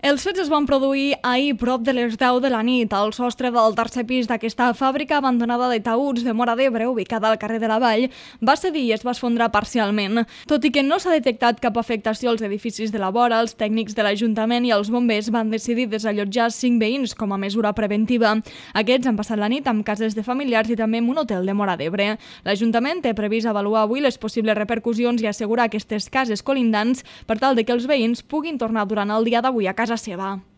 Els fets es van produir ahir prop de les 10 de la nit al sostre del tercer pis d'aquesta fàbrica abandonada de taüts de Móra d'Ebre, ubicada al carrer de la Vall, va cedir i es va esfondrar parcialment. Tot i que no s'ha detectat cap afectació als edificis de la vora, els tècnics de l'Ajuntament i els bombers van decidir desallotjar 5 veïns com a mesura preventiva. Aquests han passat la nit amb cases de familiars i també en un hotel de Móra d'Ebre. L'Ajuntament té previst avaluar avui les possibles repercussions i assegurar aquestes cases colindants per tal de que els veïns puguin tornar durant el dia d'avui a casa seva.